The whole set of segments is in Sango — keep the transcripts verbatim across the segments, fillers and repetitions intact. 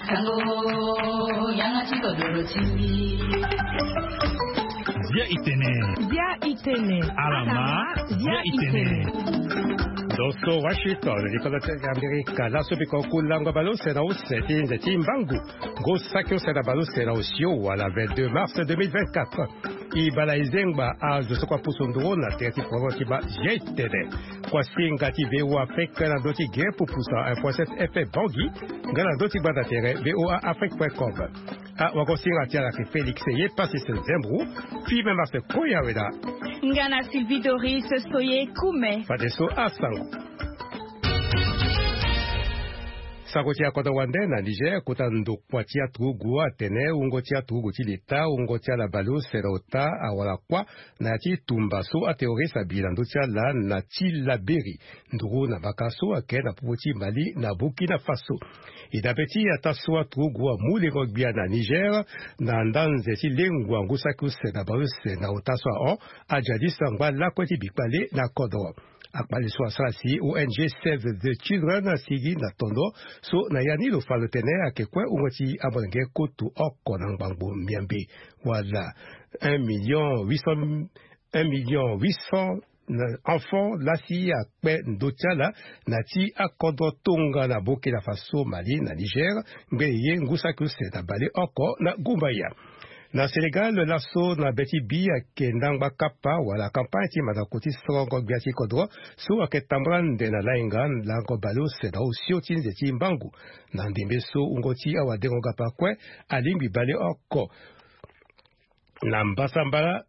Tango yanga ti kodoro ti mbi. Zia itene. Zia itene. Alama. Zia itene. Doso Washington, likolo ti Amerika. Laso biko kulango baleuse na use ti nze ti mbangu. Ngu saki use na baleuse na osio wala vingt-deux mars deux mille vingt-quatre. E bala e zengba azo so kua pusu nduru na tere ti poro ti bâ G T D. Kua singa ti V O A Afrique na ndö ti ge pupusa info S F F Bangui. Nga na ndö ti gbanda tere V O A Afrique point com. Ah, wago singa ti ala ke Félix ye Pasis Zembro. Fille Marcel Koya Weda. Nga na Sylvie Doris Soye Kume. Fadeso asango. Sango ti akodro wande na Niger, kota ndokua ti aturugu atene wungo ti aturugu ti leta, wungo ti ala baleuse na ota awara kuâ na ya ti tumba so aterroriste abi na ndö ti ala na Tillabéri, nduru na mbaka so ayeke na popo ti Mali na Burkina Faso. E dabe ti ataa so aturugu amu lengo gbia na Niger, na nda nze ti lengua ngu saki use na baleuse na ota so ahon, aja disa ngba lakue ti bikpale na kodro. Akpale so asara si O N G Save the Children asigi na tondo so na ya ni lo fa lo tene ayeke kue wungo ti amolenge koto oko na ngbangbo miambe, wala un million huit cent, un million huit cents enfants laa si akpe ndö ti ala na ti akodro tongana Burkina Faso, Mali na Niger, ngbene ye ngu saki use na baleoko na gumbaya. Na Sénégal, laso na be ti bi ayeke ndangba kapa wala campagne ti mandako ti sorongo gbia ti kodro so ayeke tambula nde na lainga lango baleuse na osio ti nze ti mbangu. Na ndembe so wungo ti awadengo-gapa kue alingbi baleoko na mbasambala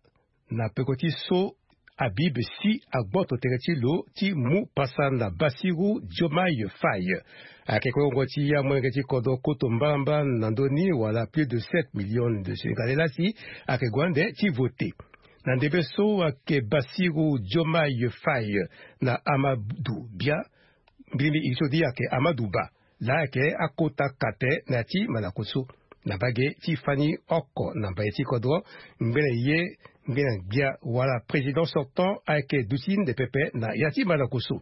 na peko ti so Habib Sy agboto tere ti lo ti mu pasa na Bassirou Diomaye Faye. Ayeke kue wungo ti amolenge ti kodro koto mbamba na ndö ni wala plus de sept millions de Sénégalais laa si ayeke gue ande ti vote. Na ndembe so ayeke Bassirou Diomaye Faye na Amadou Bia, mbirimbi iri so di ayeke Amadou Ba, laa ayeke akota kate na ya ti mandako so. Na mbage ti fani oko na mbaye ti kodro, ngbene ye ngbene gbia wala président sortant ayeke duti nde pepe na ya ti mandako so.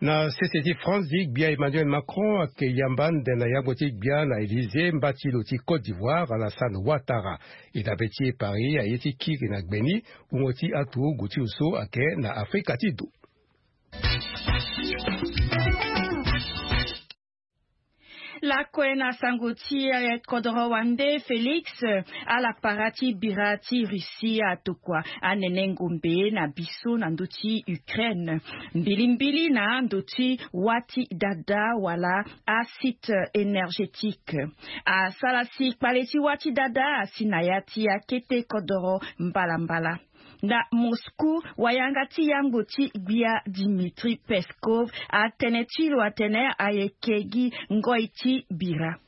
Na sese ti France, gbia Emmanuel Macron ayeke yamba nde na yango ti gbia na Élysée mba ti lo ti Côte d'Ivoire, Alassane Ouattara. E dabe ti e Paris aye ti kiri na gbe ni wungo ti aturugu ti lo so ayeke na Afrika ti do. Lakue na sango ti, eh, kodoro wande Félix, eh, ala para ti bira ti Russie atokua anene ngombe na biso na ndö ti Ukraine, mbilimbili na ndö ti wâ ti dada wala asite énergétique. Asara si kpale ti wâ ti dada asi na ya ti akete kodoro mbalambala. Na Moscou, wayanga ti yango ti gbia Dmitri Peskov atene ti lo atene ayeke gi ngoi ti bira.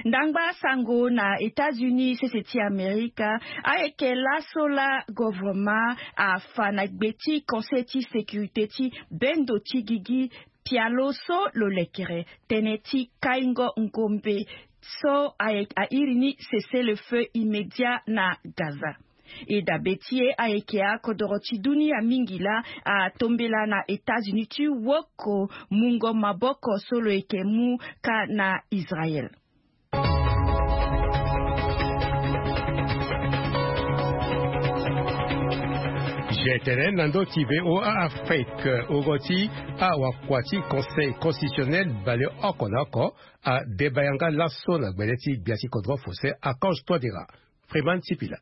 Ndangba sango na États-Unis sese ti Amerika, ayeke laso laa govoroma afa na gbe ti Conseil ti sécurité ti bendo ti gigi pialo so lo lekere tënë ti kaingo ngombe so aye-, airi ni cessez-le-feu immédiat na Gaza. E dabe ti e ayeke akodoro ti dunia mingi laa atombela na États-Unis ti woko mungo maboko so lo yeke mu ka na Israël. G T N na ndö ti V O A Afrique, ogo ti awakua ti Conseil constitutionnel baleoko na oko adeba yanga laso na gbele ti gbia ti kodro Faustin Archange Touadéra. Freeman Sipila.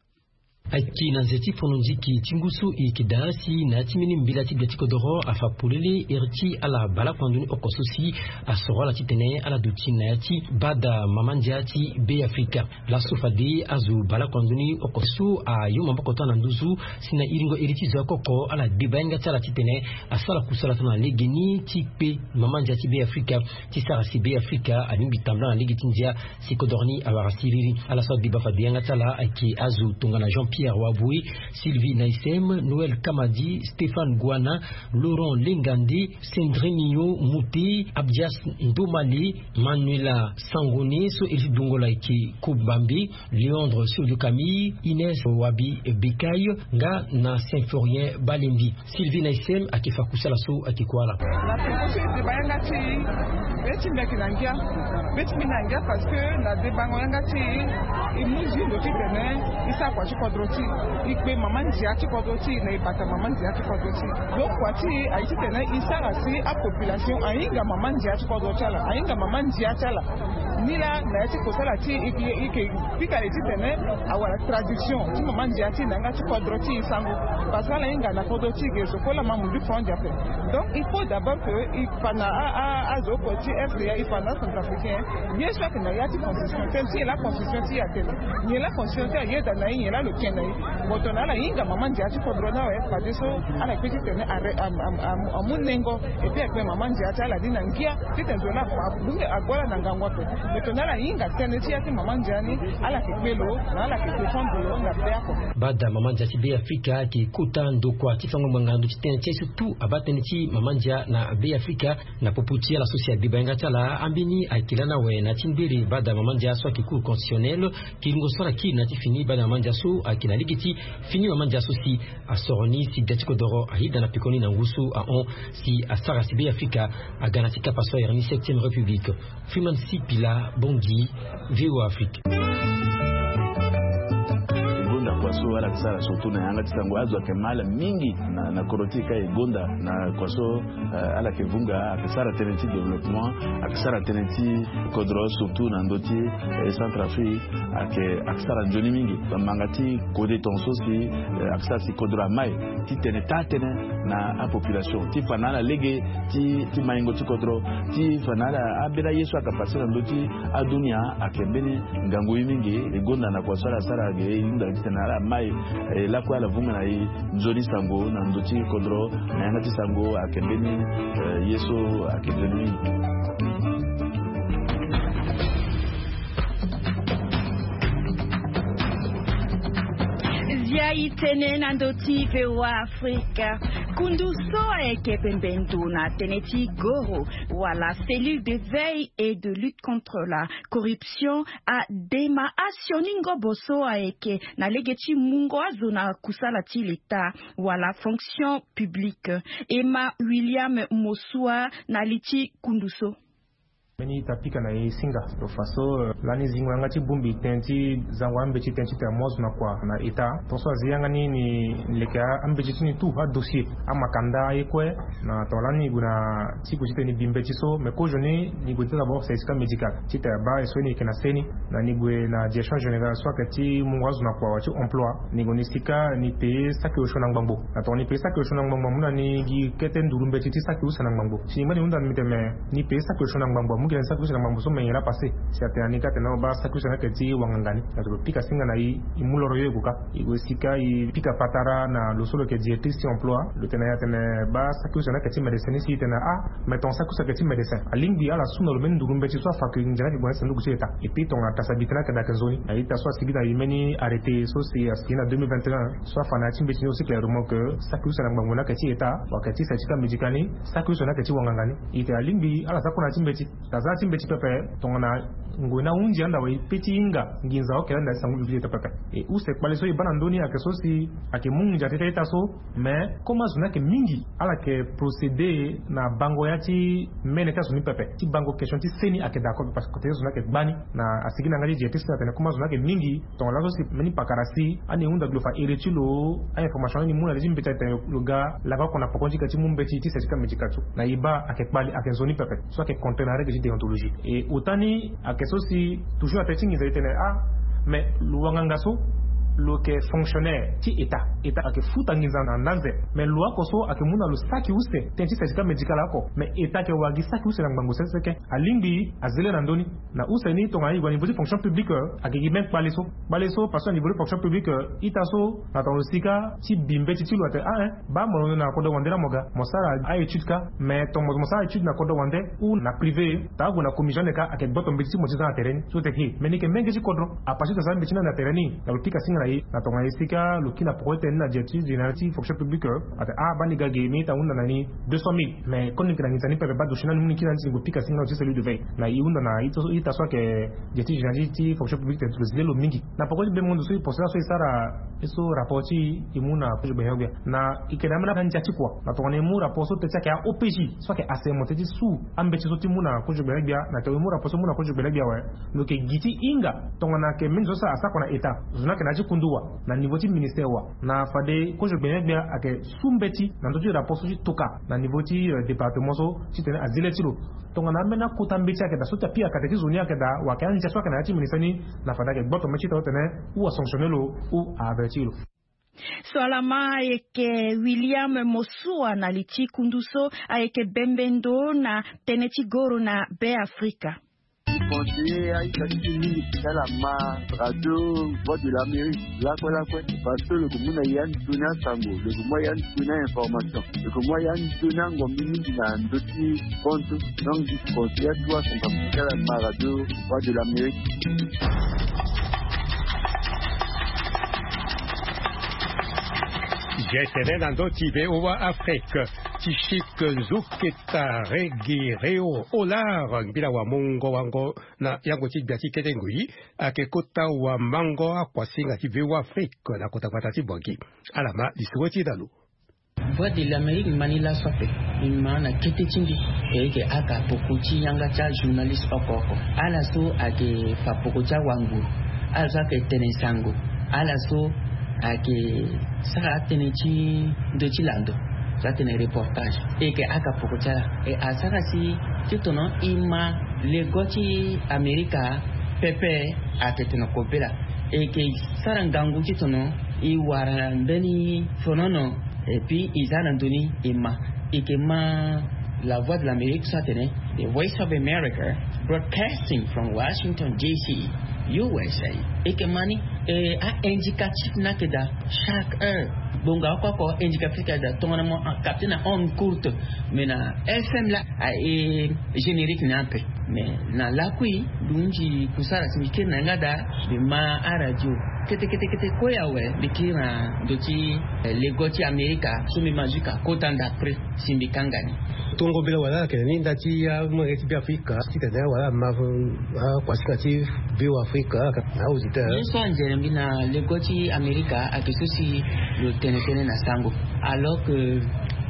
Ayeke na nze ti fono nziki ti ngu so e yeke daa si na ya ti mbeni mbela ti gbia ti kodoro afa polele iri ti ala baleoko na ndoni oko so si asoro ala titene ala duti na ya ti bada mama ndia ti Be Afrika. Laso fade azo baleoko na ndoni oko so ayo maboko ti ala na nduzu si na iringo iri ti zo ya koko ala deba yanga ti ala titene asara kusala tongana lege ni ti kpe mama ndia ti Be Afrika ti sara si Be Afrika alingbi tambula na lege ti ndia si kodoro ni awara siriri. Ala so adeba fade yanga ti ala ayeke azo tongana Jean Pierre Pierre Waboué, Sylvie Naïsem, Noël Kamadi, Stéphane Gouana, Laurent Lengandi, Sendrinio Mouti, Abdias Ndomali, Manuela Sangone, so iri ti dungo la eke Koubambi, Léandre Sodio Camille, Inès Wabi Bekayo, nga na Symphorien Balendi. Sylvie Naïsem ake fa kusala so ake kuala. Na peko so e deba yanga ti e, be ti mbi ake na ngia. Be ti mbi na ngia parce que na debango yanga ti e, e mu zi ndo titene e sara kua ti kodro ti e, e kpe mama ndia ti kodro ti e, na e bata mama ndia ti kodro ti e. Donc kua ti e aye titene e sara si apopulation ahinga mama ndia ti kodro ti ala, ahinga mama ndia ti ala. Ni laa na ya ti kosala ti e, e, e ke pika e titene awara traduction ti mama ndia ti e na yanga ti kodro ti e sango. Parce que ala hinga na kodro ti e ge so kue laa ma mundu franc ndia ape. Donc il faut d'abord que e fa na a, a, azo oko ti R C A, e fa na acentrafricain. Ye so ake na ya ti constitution, tënë ti nyen laa constitution ti e atene, nyen laa constitution ti e ayeda na e, nyen laa lo tene na e. Bon, tongana ala hinga mama ndia ti kodro ni awe, fadeso ala kpe titene are, am, am, am, amu nengo. Et puis akpe mama ndia ti ala ni na ngia titene zo laa afa abunge ague ala na ngangu ape. Mais tongana ala hinga tënë ti ya ti mama ndia ni, ala yeke kpe lo, na ala yeke défendre lo na be oko. Bada mama ndia ti Beafrika ayeke kota ndokua ti fango ngbanga na ndö ti tënë ti aye so tout abaa tënë ti mama ndia na Beafrika. Na popo ti ala so si adeba yanga ti ala, ambeni ayeke lani awe na ya ti ngbere bada mama ndia so ayeke Cour constitutionnelle. Kiringo so ala kiri na ya ti fini bada mama ndia so ayeke na lege ti fini mama ndia so si asoro ni si da ti kodoro ayeda na pekoni na ngu so ahon si asara si Beafrika aga na ti kapa so ayere ni septième république. Freeman Sipila, Bangui, V O A Afrique. E gonda kua so ala yeke sara surtout na yanga ti sango, azo ayeke ma ala mingi na, na kodro ti e ka. E gonda na kua so, eh, ala yeke vunga, ayeke sara tënë ti développement, ayeke sara tënë ti kodro surtout na ndö ti, eh, Centrafrique. Ayeke, ayeke sara nzoni mingi. Manga ti kode tongaso si, eh, ayeke sara si kodro amai titene taa tënë na apopulation ti fa na ala lege ti, ti maingo ti kodro, ti fa na ala ambeni aye so ayeke passe na ndö ti adunia. Ayeke mbeni ngangu ye mingi. E gonda na kua so ala sara ge, e hunda titene ala mai, eh, lakue ala vunga na e nzoni sango na ndö ti kodro, na yanga ti sango ayeke mbeni, eh, ye so ayeke nzoni mingi. Zia e tene na ndö ti V O A Afrique. Kundu so ayeke pembe ndo na tënë ti goro wala cellule de veille et de lutte contre la corruption adema asioni ngobo so ayeke na lege ti mungo azo na kusala ti leta wala fonction publique. Emma William Mosua na li ti kundu so. Mbeni ita pika na e singa lo fa so, eh, lani zingo yanga ti bongbi tënë ti zango ambeti tënë ti tene mo azo na kua na eta. Tongaso azi yanga ni, ni leke ambeti ti ni tout adossier, amakanda, aye kue. Na tongana lani ni gue na ti gue titene ni bi mbeti so, mais kozoni ni gue ti d'abord certificat médical titene abaa e so ni yeke na seni. Na ni gue na direction générale so ayeke ti mungo azo na kua wala ti emploi, ni gue ni sika ni paye saki osio na ngbangbo. Na tongana ni paye saki osio na ngbangbo, amu na ni gi kete nduru mbeti ti saki use na ngbangbo. Si ni ngba ni hunda na mbi tene me ni paye saki osio na ngbangbo, amu gi na ni saki use na ngbangbo so, me nyen laa passe? Si atene na ni ka atene na lo baa saki use ni ayeke ti wanganga ni. Na tongana lo pika singa na e, e mu loro yo e gue ka. E gue sika e pika patara na lo so lo yeke directrice ti emploi. Lo tene na e atene baa saki use ni ayeke ti médecin ni. Si e tene ah, mais tongana saki use ayeke ti médecin, alingbi ala su na lo mbeni nduru mbeti so afa ke ndia ni ayeke gue na ti sanduku ti leta. Et puis tongana tasa bi tënë ayeke daa ayeke nzoni. Na ita so asigi na e mbeni arrêté so si asigi na deux mille vingt et un, so afa na ya ti mbeti ni aussi clairement que saki use na ngbangbo ni ayeke ti état, wala ayeke ti certificat médical ni, saki use ni ayeke ti wanganga ni. E tene alingbi ala sara kue na ya ti mbeti. Tasa na ya ti mbeti pepe, tongana ngoi ni ahunzi anda awe, e pe ti hinga nginza oke lani na ya ti sango public ti état pepe. E use kpale so e baa na ndö ni ayeke so si ayeke mu nginza tete ita so. Mais comme azo ni ayeke mingi, ala yeke procéder na bango ya ti mene ti azo ni pepe, ti bango question ti seni ayeke d'accord, parce que azo ni ayeke gbani. Na asigi na yanga ti directrice ni atene comme azo ni ayeke mingi, tongana laso si mbeni pakara si ani hunda gi lo fa iri ti lo, a-information ni ni mu na li ti mbeti atene lo ga laka oko na poko ni ti ga ti mu mbeti ti certificat médical so. Na e baa ayeke kpali, ayeke nzoni pepe. So ayeke contraire na règle ti déontologie. Et autant ni ayeke so si toujours na tënë ti nginza e tene ah, mais lo wanganga so lo yeke fonctionnaire ti état. État ayeke futa nginza na ndanze. Mais lo oko so ayeke mu na lo saki use tënë ti certificat médical oko. Mais état ayeke wara gi saki use na ngbangbo sese ke. Alingbi azia le na ndö ni. Na use ni tongana e gue na niveau ti fonction publique, euh, ayeke gi même kpale so. Kpale so parce que na niveau ti fonction publique, euh, ita so na tongana lo sika ti bi mbeti ti lo atene ah, hein, baa mo londo na kodro wande laa mo ga, mo sara a-étude ka. Mais tongana mo sara étude na kodro wande ou na privé, tongana ague na commission ni ka, ayeke gboto mbeti ti mo ti za na tere ni. So teke, mais ni yeke menge ti kodro. Apart ti tasa mbeti ni na tere ni, na lo pika singa Na tongana esika lo kiri na poko ti tene ni na directrice générale ti fonction publique, atene ah bani ga ge mérite ahunda na ni deux cent mille, mais koni yeke na nginza ni pepe, baa dossier ni anu ni kiri na ni ti ni gue pika si nga na lo ti cellule de veille. Na e hunda na ita so ayeke directrice générale ti fonction publique tene lo zi lê lo mingi. Na poko ti be mondo so e procès so e sara, e so rapport ti e mu na kozo gbene gbia na e yeke na ambeni andia ti kua. Na tongana e mu rapport so tene ti ayeke a-O P J so ayeke assermenté ti su ambeti so ti mu na kozo gbene gbia, na tongana e mu rapport so mu na kozo gbene gbia awe, lo yeke gi ti hinga tongana ayeke mbeni zo so asara kua na état, zo ni ayeke na ya ti kundu wa, na niveau ti ministère wa. Na fade kozo gbene gbia ayeke su mbeti na ndö ti rapport so ti toka na niveau ti département so titene azi lê ti lo. Tongana ambeni akota mbeti ayeke daa so ti apika kate ti zo ni ayeke daa, wa ayeke andia so ayeke na ya ti ministère ni, na fade ayeke gboto mbeti ti tene ou asanctionné lo ou aaverti lo. So alama ayeke William Mosua na li ti kundu so ayeke bembe ndo na tënë ti goro na Be Afrika. Conseiller aita ti mingi ti ala ma radio Voix de l'Amérique lakue lakue, parce que lo yeke mu na ya ni toni asango, lo yeke mu ya ni toni a-information, lo yeke mu ya ni toni angombi mingi na ndö ti compte. Donc conseiller atu asango ti ala ma radio Voix de l'Amérique. Ge tene na ndö ti V O A Afrique, ti chic nzuketa regi reo olar mbila wa mongo wango na yango ti gbia ti kete ngoi, ayeke kota wa mango akuasinga ti V O A Afrique na kota gbata ti Bangui. Ala ma lisoro ti e na lo. Voix de l'Amérique ma ni laso ape. Mbi ma na kete ti mbi. E yeke aka poko ti yanga ti ajournaliste oko oko. Ala so ayeke fa poko ti awanguru. Ala so ayeke tene sango. Ala so ayeke sara atënë ti ndö ti lando. So atene reportage. E yeke aka poko ti ala. E asara si ti tono e ma lego ti Amerika pepe. Atene tene kobela. E yeke sara ngangu ti tono e wara mbeni fonono. Et puis e za na ndö ni e ma, e yeke ma La Voix de l'Amérique so atene, The Voice of America, broadcasting from Washington D C, U S A. E yeke ma ni, e a-indicatif ni ayeke daa chaque heure. Ngbonga oko oko indicatif ayeke daa, tongana mo capté na onde courte. Mais na F M laa, a e générique ni ape. Mais na lakui, mbi hunzi kusara si mbi kiri na yanga daa, mbi ma aradio. Kete kete kete kue awe, mbi kiri na ndö ti, eh, lego ti Amerika, so mbi ma jusqu'à kota ndapre si mbi kanga ni. Tongo mbela wala ayeke na ni nda ti amolenge ti Be Afrika titene wala ama akuasinga ti Be Afrika na auditeur. Ye so anzere mbi na lego ti Amerika ayeke so si lo tene tënë na sango. Alors que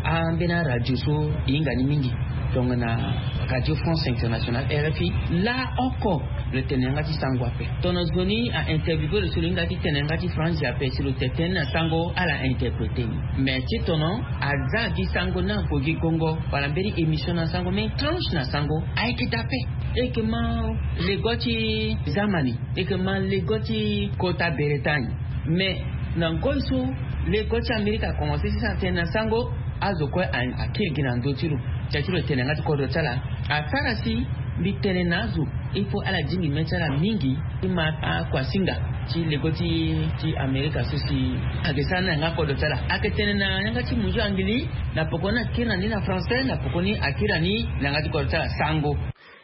ambeni aradio so e hinga ni mingi, tongana Radio France Internationale, R F I, laoko lo tene yanga ti sango ape. Tongana zo ni a-interviewé lo so lo hinga ti tene yanga ti français ape, si lo tene tënë na sango, ala interprété ni. Mais ti tono aza gi sango ni ague gi gongo, wala mbeni émission na sango, mbeni tranche na sango, ayeke daa ape. E yeke ma lego ti Zamani. E yeke ma lego ti kota Bretagne. Mais na ngoi so lego ti Amerika akomanse ti sara tënë na sango, azo kue a, akiri gi na ndö ti lo. Tia ti lo tene yanga ti kodro ti ala. Asara si mbi tene na azo, il faut ala zingi mê ti ala mingi ti ma akuasinga ti lego ti, ti Amerika so si ayeke sara ni na yanga kodro ti ala. Ayeke tene na yanga ti munzu angili, na poko ni akiri na ni na français, na poko ni akiri na ni na yanga ti kodro ti ala sango.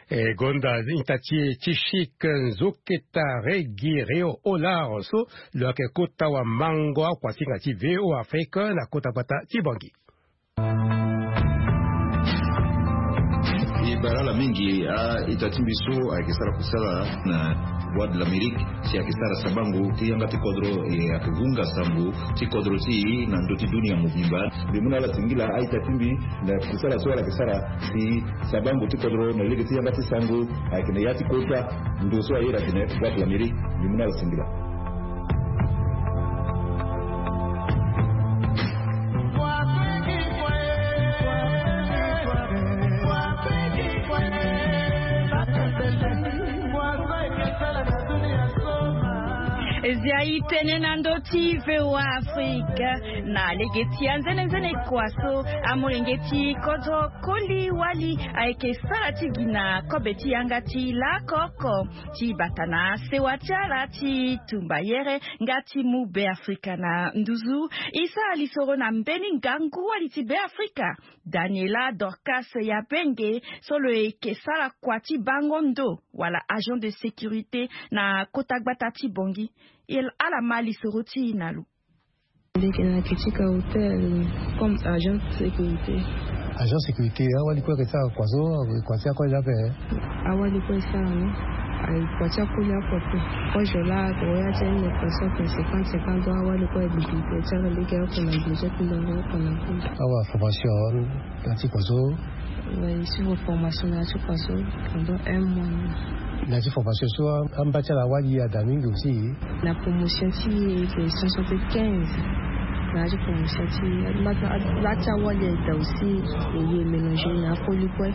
E gonda ita ti e ti chic nzoketa regi reo olar so lo yeke kota wa mango akuasinga ti V O A Afrique na kota gbata ti Bangui. E bara ala mingi a-ita ti mbi so ayeke sara kusala na Voix de l'Amérique. Si ayeke sara sabango ti yanga ti kodro, e ayeke vunga sango ti kodro ti e na ndö ti dunia mobimba. Mbi mu na ala singila a-ita ti mbi na kusala so ala yeke sara si sabango ti kodro na lege ti yanga ti sango ayeke na ya ti kota ndo so aye ayeke na Voix de l'Amérique. Mbi mu na ala singila. Zia e tene na ndö ti V O A Afrique. Na lege ti anzenenzene kua so, amolenge ti kodro Koli Wali ayeke sara ti gi na kobe ti yanga ti laoko oko ti bata na sewa ti ala ti tumba yere nga ti mu Be Afrika na nduzu. E sara lisoro na mbeni ngangu wali ti Be Afrika, Daniela Dorcas Yabenge, so lo yeke sara kua ti bango ndo wala agent de sécurité na kota gbata ti Bangui. Ala ma lisoro ti e na lo. Ndeke na yeke ti ka hotel comme agent de sécurité. Agent sécurité, awali kue ayeke sara kua so? Kua ti akue la ape. Awali kue asara ni. Aye kua ti akoli oko ape. Kozo laa tongana ya ti aye ni me kua so ape cinquante cinquante ans, awali kue aye bibili ti ala lege oko na bezo ti ndongo oko na koli. Awa formation na ya ti kua so? Aye suivre formation na ya ti kua so pendant un mois. Na ya ti formation so amba ti ala awali ada mingi aussi. Na promotion ti e ayeke cent soixante-quinze. Na ya ti promotion ti e la ti awali ayeke daa aussi. E ye mélanger na akoli kue.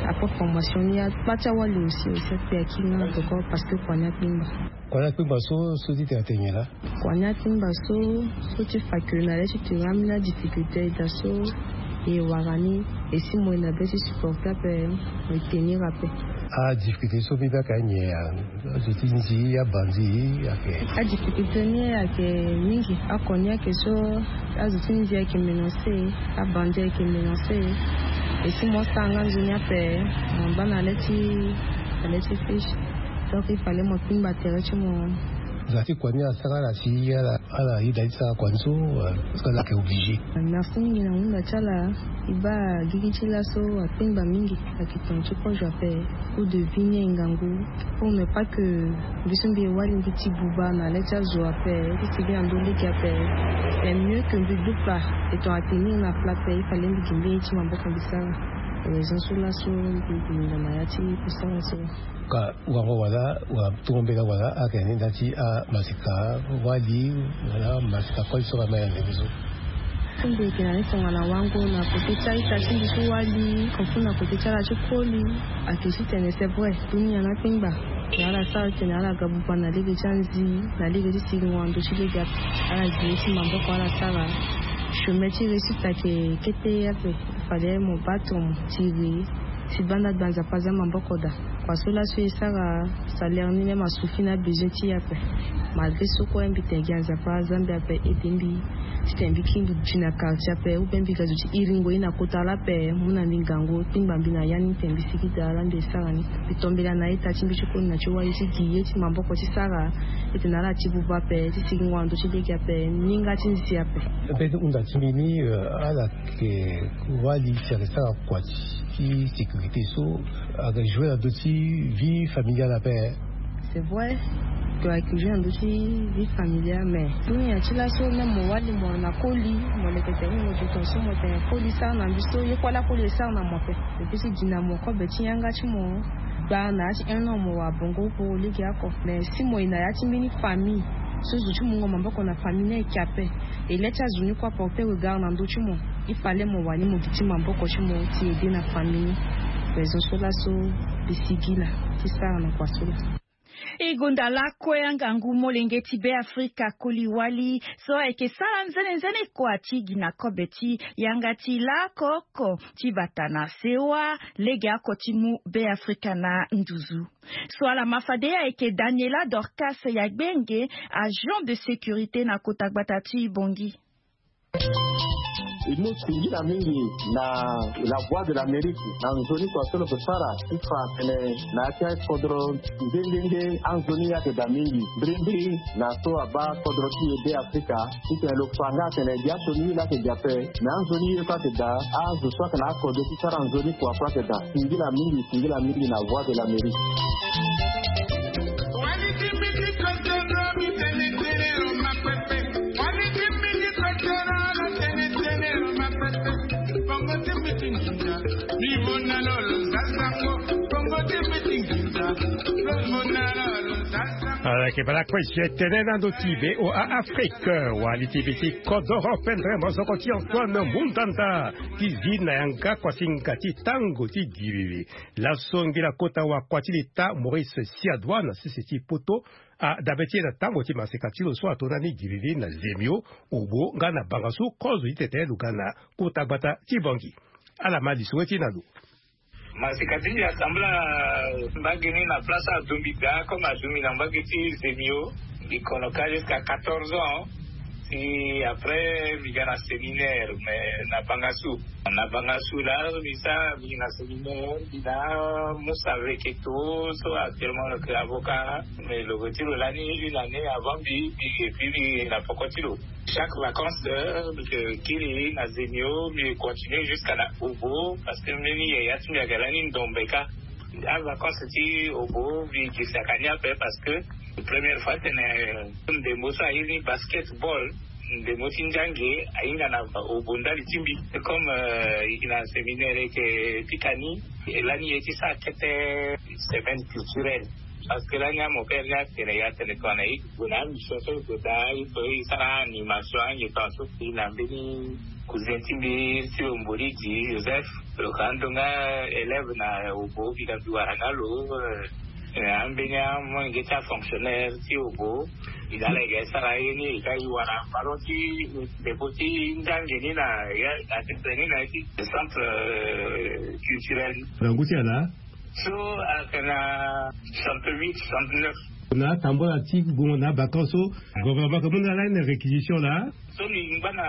Après formation ni la ti awali aussi aussi akpe aki nga toko parce que kua ni akpingba. Kua ni akpingba so so ti tene atene nyen laa? Kua ni akpingba so so ti fa ke na le ti tene ambeni adifficulté ayeke daa so. E wara ni. E si mo e na be ti supporter ape. Mo e tenir ape. Adifficulté so mbi baa ka nyen? Azo ti nzi, abandi ayeke. Adifficulté ni ayeke mingi. Akoni ayeke so azo ti nzi ayeke menacé. Abandi ayeke menacé. E si mo sara nga nzoni ape. Mo baa na le ti na le ti fiche. Donc il fallait mo kpingba tere ti mo. Za ti kua ni asara ala si ala ala yeda ti sara kua ni so? Parce que ala yeke obligé. Merci mingi na hunda ti ala. E baa gigi ti laso akpingba mingi. Ayeke tongana ti kozo ape. Coût de vie ni aye ngangu. Pour ne pas que mbi so mbi e wali mbi ti buba na le ti azo ape ti sigi na ndö lege ape. C'est mieux que mbi dupa. E tongana tenir na plat ape il fallait mbi gi mbeni ye ti maboko mbi sara. Raison so laso mbi gi nda na ya ti kusala so. Ka wango wala wa tungo mbela wala ayeke ni nda ti amasika wali wala masika koli so ka ma ya nzembe so. Ti mbi yeke na ni tongana wango na kote ti a-ita ti mbi so wali. Kofu na kote ti ala ti koli. Ayeke ti tene c'est vrai. Dunia na akpingba. Na ala sara tene ala ga buba na lege ti anzi na lege ti sigingo na ndö ti lege ape. Ala gi ye ti maboko ala sara. Chemin ti réussite ayeke kete ape. Fallait mo battre mo tiri. Si banda gba nzapa aza maboko daa. Kua so laso e sara salaire ni même asuffit na besoin ti e ape. Malgré so kue mbi tene gi anzapa aza mbi ape aide mbi. Ti tene mbi kiri mbi gi na quartier ape ou bien mbi ga zo ti iringo ye na kota lape mu na mbi ngangu kpingba mbi na ya ni tene mbi sigi daa ala mbi e sara ni. Mbi tombela na a-ita ti mbi ti koli na ti wali ti gi ye ti maboko ti sara. E tene ala ti buba ape ti sigingo na ndö ti lege ape. Ni nga ti nzi ape. Mbeni hunda ti mbi ni ala yeke wali ti ayeke sara kua ti sécurité so ayeke jouer na ndö ti vie familiale ape. C'est vrai. To ayeke jouer na ndö ti vie familiale mais dunia ti laso même mo wali mo na koli mo leke tene mo di ton so mo tene koli sara na mbi so ye kue ala koli e sara na mo ape. Lo peut ti gi na mo kobe ti yanga ti mo. Gba na ya ti un an mo wara bongo pour lege oko mais si mo ye na ya ti mbeni famille so zo ti mungo maboko na famille ni ayeke ape. E le ti azo ni kue aporter regard na ndö ti mo. Il fallait mo wani mo gi ti maboko ti mo ti aider na famille ni. Raison so laso mbi sigi laa ti sara na kua so laa. E gonda lakue angangu molenge ti Beafrika koli wali so ayeke sara nzenenzene kua ti gi na kobe ti yanga ti laoko oko ti bata na sewa lege oko ti mu Beafrika na nduzu. So ala ma fade ayeke Daniela Dorcas Yagbenge, agent de sécurité na kota gbata ti Bangui. E mu singila mingi na La Voix de l'Amérique na nzoni kua so lo yeke sara ti fa atene na ya ti akodro nde nde nde anzoni ayeke daa mingi. Mbirimbiri na so abaa kodro ti e Beafrika ti tene lo fa nga atene gi asioni ye laa ayeke gi ape. Na anzoni ye kue ayeke daa. Azo so ayeke na akode ti sara nzoni kua kue ayeke daa. Singila mingi, singila mingi na Voix de l'Amérique. Ala yeke bala kue si e tene na ndo ti VOA Afrique. Wali ti be ti kodoro pendere mozoko ti Antoine Mundanda ti zi na yanga kuasinga ti tango ti giriri. Laso ngila kota wakua ti leta Maurice Siadois na sese ti poto adabe ti e na tango ti maseka ti lo so ato ndani giriri na Zemio, Obo nga na Bangassou, kozo ti tete lo ga na kota gbata ti Bangui. Ala ma lisoro ti e na lo. Maseka ti mbi asambla mbage ni na place adombi daa comme adombi na mbage ti Zemio. Mbi kono ka jusqu'à quatorze ans. Si après mbi ga na séminaire mais na bangasu, na bangasu la mbi sa mbi na séminaire mbi na musa veketo so actuellement lo ke avocat. Mais lo ke ti lo lani une année avant mbi mbi et puis mbi na poko ti lo. Chaque vacances mbi ke kiri na zemio mbi continue jusqu'à na obo parce que mbeni yaya ti mbi aga lani ndombe ka. Avacances ti obo mbi girsaka ni ape parce que première fois tene ndembo so aye ni basketball ndembo ti nzange ahinga na obo ndali ti mbi. Comme eke na séminaire eke pika ni, e lani ye ti sa kete semaine culturelle. Parce que lani amopere ni atene ya tene tongana e gue na mission so e gue daa e sara animation ange tonga so e na mbeni cousin ti mbi ti lo mbori di joseph. Lo ka ando nga élève na obo bika mbi wara nga lo. Ambeni amolenge ti afonctionnaire ti obo. Ida ala ega e sara ye ni ega e wara ballon ti ndeko ti nzange ni na ya na tete ni na ya ti centre culturel. Na ngu ti ala so ayeke na soixante-huit soixante-neuf. Na atambula ti gongo na abakant so gouvernement ke mu na ala ni na réquisition laa. So mbi ngba na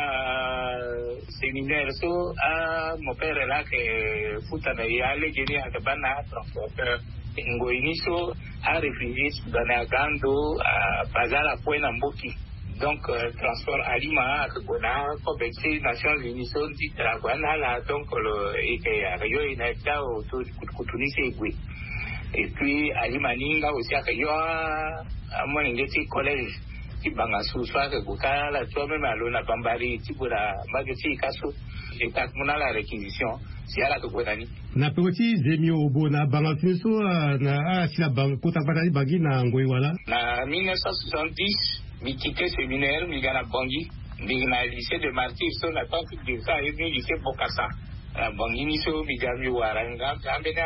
séminaire so amopere laa ayeke futa na e alege ni ayeke baa na atransporteur. Ngoi ni so aréfugié ti done aga ando abazar akue na mboki. Donc transport alima ayeke gue na akobe ti nations unies so ti tara gue na ala donc lo eke ayeke yo e na ya ti aoto kutukutu ni so e gue. Et puis alima ni nga aussi ayeke yo amolenge ti collège ti bangasu so ayeke gue ka ala tu ameme alo na bambari ti gue na mbage ti e ka so. E tak mu na ala réquisition si ala yeke gue na ni. Na peko ti zemio obo na bangasu ni so na ala si na kota gbata ti bangi na ngoi wala na mille neuf cent soixante-dix. Mbi kite séminaire mbi ga na bangi. Mbi na lycée de martyre so na tant ti dirisa aye ni lycée bokasa. Na bangi ni so mbi ga mbi wara nga mbi ambeni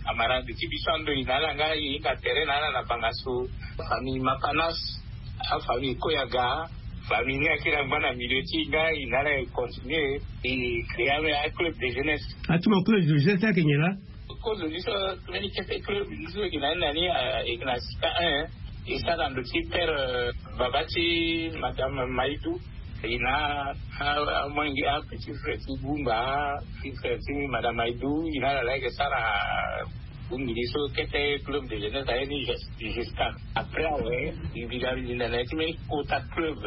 amarade ti biso ando e na ala nga e hinga tere na ala na bangasu. Famille mapanas, afamille koyaga. Famille ni akiri angba na milieu ti e nga e na ala e continue e créer ame aclub de jeunesse. Atuma club de jeunesse ayeke nyen laa? Kozo ni so mbeni kete club ni so e yeke na ni na ni e yeke na sika un. E sara na ndo ti père baba ti madame maidou. E na amolenge apetit frère ti gumba ti frère ti madame maidou e na ala laa e yeke sara. Bongbi ni so kete club de jeunesse aye ni jusqu'à après awe. Mbi ga mbi linda na ya ti mbeni kota club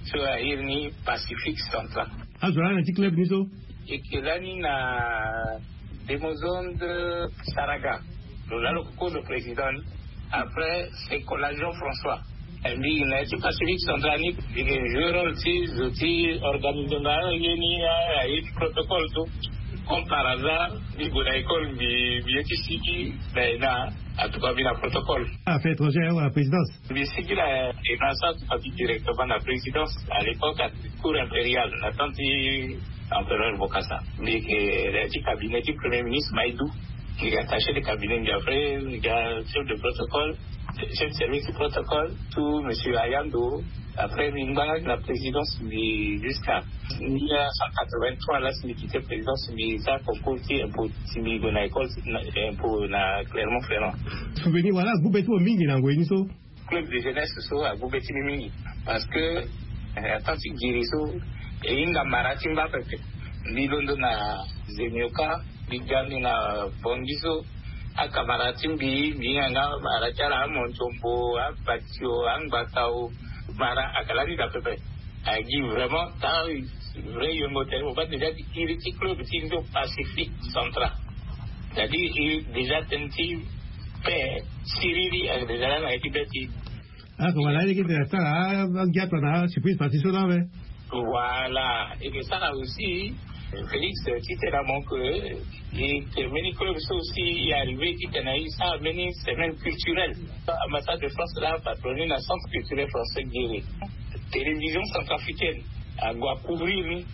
so aye ni pacifique central. Azo laa na ya ti club ni so? E ke lani na demozonde saraga. Lo laa lo ke kozo président ni. Après c'est collation françois. Mbi na ya ti pacifique central ni mbi ke jouer rôle ti zo ti organiser nga ye ni aye ti protocole so. Comme par hasard mbi gue na école mbi mbi ye ti sigi na ena. Atuka mbi na protocole. Affaire étrangère wala présidence? Mbi sigi na ena so atuka mbi directement na présidence à l'époque à cour impériale na temps ti empereur bokasa. Mbi yeke na ya ti cabinet ti premier ministre maidou. Mbi ga attaché de cabinet mbi après mbi ga chef de protocole, chef de service protocole tout monsieur ayando. Après mbi ngba nga na présidence mbi jusqu'à mille neuf cent quatre-vingt-trois laa si mbi kite présidence mbi sara concours ti impôt si mbi gue na école impôt na clermont ferrand. Souvenir wala agube ti mo mingi na ngoi ni so? Club de jeunesse so agube ti mbi mingi parce que na temps ti giri so e hinga mara ti mba pepe. Mbi londo na zemioka mbi ga mbi na bongi so. Akamara ti mbi mbi hinga nga mara ti ala amonzombo abatio angbatao. Mara aka lani daa pepe. Agi vraiment ta vrai yongo tene mo ba déjà ti kiri ti club ti nzo pacifique central. C'est-à-dire déjà tene ti paix siriri ake déjà lani ake ti be ti. Aka wala aleke tene asara agia tona surprise parti so laa awe. Voilà. Eke sara aussi félix ti tena mo ke e ke mbeni club so aussi e arrivé ti tena e sara mbeni semaine culturelle. Ambassade de france laa patronné na centre culturel français guéri. Télévision centrafricaine ague acouvrir ni.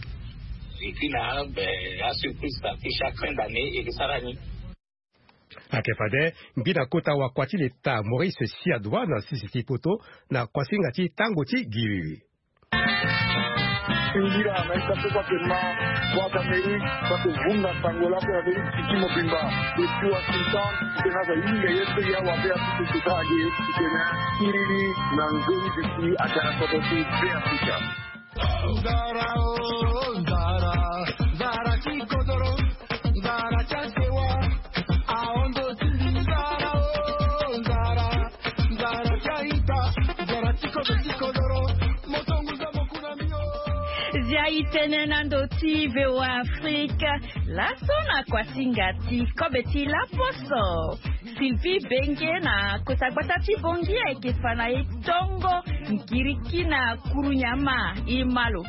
Et puis na ben asurprise parti chaque fin d'année eke sara ni. Ake fade mbi na kota wakua ti leta maurice siadois na sisi ti poto na kuasinga ti tango ti giri. Ngira na ita so kua ke ma Voix d'Amérique, kua ke vunga sango lako na Amérique siki mobimba. Eti Washington, tena za yinga ye pe ya wa be a sisi sika age, tena iriri na nzoni bisi a tara koto si be Afrika. Nzara, oh, nzara, nzara ti kodoro, nzara ti asewa, ahondo ti nzara, oh, nzara, nzara ti aita, nzara ti kodo ti kodoro, moto nguza mokuna mio. Zia itene na ndo ti V O A Afrique, laso na kuasinga ti kobe ti laposo. Sylvie Benge na kota gbata ti Bongi ayeke fa na e tongo ngiriki na kuru nyama e ma lo.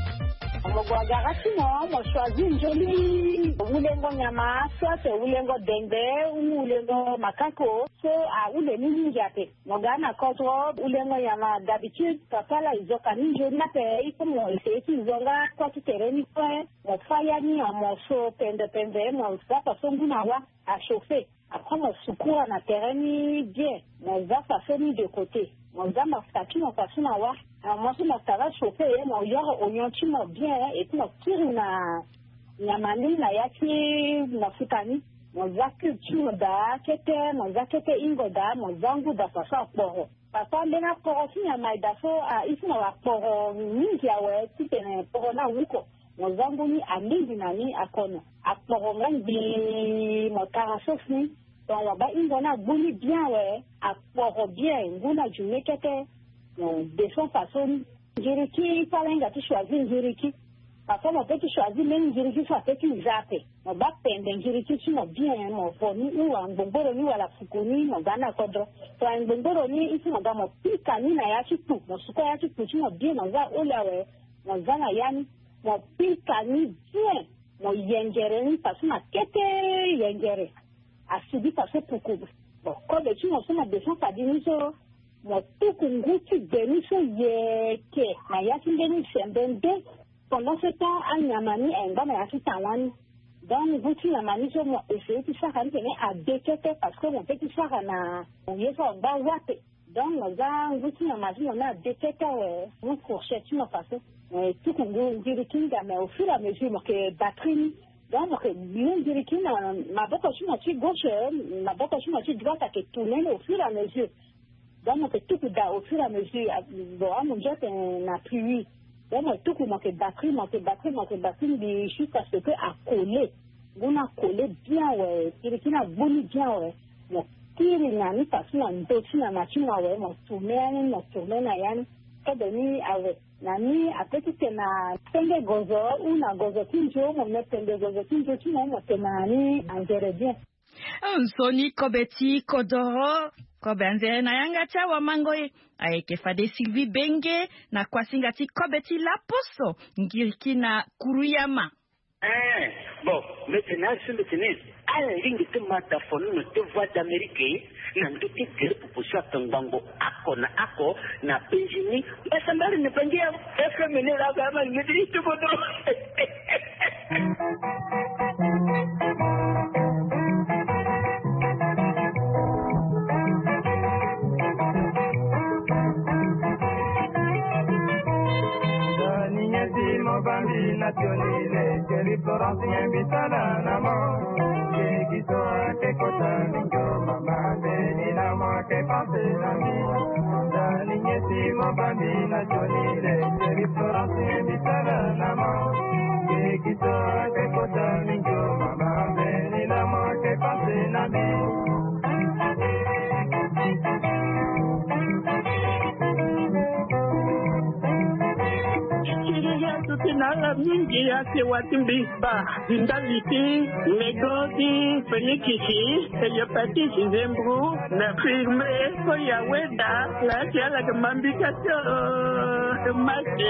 Mo gue agara ti mo, mo choisir nzoni wulengo nyama, soit wulengo dengbe ou wulengo makako, so ahule ni mingi ape. Mo ga na kodro, wulengo nyama d'habitude papa laa e zo ka ni nzoni ape, il faut mo essayer ti zo nga kua ti tere ni kue. Mo fa ya ni en morceau pembe pembe, mo za faso ngu na wa a chauffer. Après mo sukura na tere ni bien, mo za faso ni de côté, mo za mafuta ti mo faso na wa. Mo so mafuta aga chauffer, mo yoro oignon ti mo bien, et puis mo kiri na nyama ni na ya ti mafuta ni. Mo za cube ti mo daa kete, mo za kete hingo daa, mo za ngu daa faso akporo. Papa, mbeni akporo ti nyama e daa so, ah, e si na akporo mingi awe, titene kporo ni awuko. Mo za ngu ni alingbi na ni akono. Akporo nga ngbii, mo tara sauce ni. Donc mo baa hingo ni agbu ni bien awe, akporo bien, ngu ni ajume kete. Mo descend faso ni. Ngiriki, fâ ala hinga ti choisir ngiriki. Parfois mo peut ti choisir mbeni ngiriki so apeut ti za ape. Mo baa pembe ngiriki ti mo bien, mo vo ni ou angbongboro ni wala fuku ni, mo ga ni na kodro. So angbongboro ni, il faut mo ga mo pika ni na ya ti kpu, mo sukua ya ti kpu ti mo bien, mo za aholi awe, mo za na ya ni, mo pika ni bien, mo yengere ni faso na kete yengere. Asigi faso puku. Bon, kobe ti mo so mo descend fadi ni so, mo tuku ngu ti gbe ni so yeke na ya ti mbeni sembe nde. Pendant ce temps, anyama ni ayeke ngba na ya ti tan wani. Donc ngu ti nyama ni so mo essayer ti sara ni tene ade kete, parce que mo peut ti sara na ye so angba wa ape. Donc mo za ngu ti nyama ti mo ni ade kete awe, mu fourchette ti mo faso. Eh, tuku ngu ngiriki nga, mais au fur et à mesure mo yeke battre ni. Donc mo yeke gbi ngiriki na maboko ti mo ti gauche, maboko ti mo ti droite ayeke tourner ni au fur et à mesure. Donc mo yeke tuku daa au fur et à mesure. Ah, bon, amunzu atene na pluie. Donc mo tuku, mo yeke battre, mo yeke battre, mo yeke battre ngbii jusqu'à ce que acoller. Ngu ni acoller bien awe, ngiriki ni agbu ni bien awe. Mo kiri na ni faso na ndo ti nyama ti mo awe, mo tourner ya ni, mo tourner na ya ni. Kobe ni awe. Na ni apeut ti tene na penge gozo ou na gozo ti nzo, mo me penge gozo ti nzo ti mo, mo tene na ni angere bien. Nzoni kobe ti kodoro, kobe anzere na yanga ti awamango e. Ayeke fade Sylvie Benge na kuasinga ti kobe ti laposo, ngiriki na kuruyama. Eh, bon, mbi tene na so mbi tene, ala lingbi ti ma da fonono ti Voix d'Amérique na ndö ti gere pupu so ayeke ngbangbo oko na oko na penzi ni. Mbasambala ni bangi ya F M ni la ba ma ngedi ni tubodo. Dani nyesi mo bambi na tioni le, Chéri Florence, nyen mbi sala na mo? Keki so ake kota mingi o mama, mbeni na mo ake panse na mbi. Dani nyesi mo bambi na tioni le, Chéri Florence, nyen mbi sala na mo? Keki so ake kota mingi o mama, mbeni na mo ake panse na mbi. Kiri ya tuti na ala mingi ya sewa ti mbi ba. Ndali ti nego ti fenikisi, hépatite, nzembru, na firme, ko ya weda, la ti ala ke mambi ka to, make.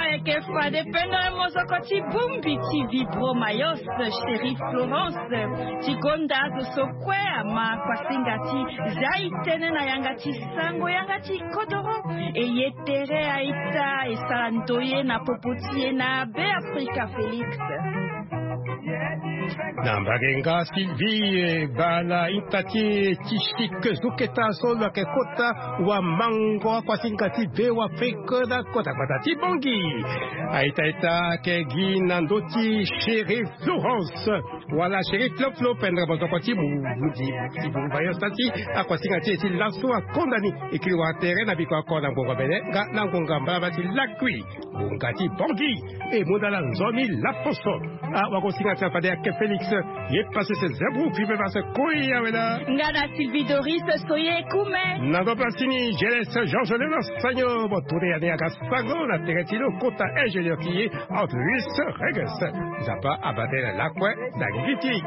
Ayeke fade peno e mozoko ti bongbi ti Vibro Mayos, Chéri Florence, ti gonda azo so kue ama kuasinga ti zia e tënë na yanga ti sango yanga ti kodoro. E ye tere a-ita e sara ndoye na popo ti e na Be Afrika Félix. Na mbage nga Sylvie, eh, bala ita ti, eh, ti chik zuketa so lo yeke kota wamango akuasinga ti Bêafrika na kota gbata ti Bangui. Aita ita ayeke gi na ndö ti Chérif Florence wala Chérif Floflo pendere mozoko ti mu, mu, ti mu, ti mu, ti mu, ti mu, ti akuasinga ti e ti laso akonda ni. E kiri wara tere na biko oko na ngonga bene nga na ngonga mbalaba ti lakui. Ngonga ti Bangui e mu na ala nzoni laposo. Ah, wakosinga ti ala fade ayeke Félix. Ye passe ses ébroues, puis même à se courir avec la. Nga na Sylvie Doris, soyez coumé. Na ndo pasi ni, Jeles Georges Léonard Sagno, bon, tourner ya ni aga sango na tere ti lo kota ingénieur ti ye, Altruis Reges. Nzapa abate na lakue na ngiti.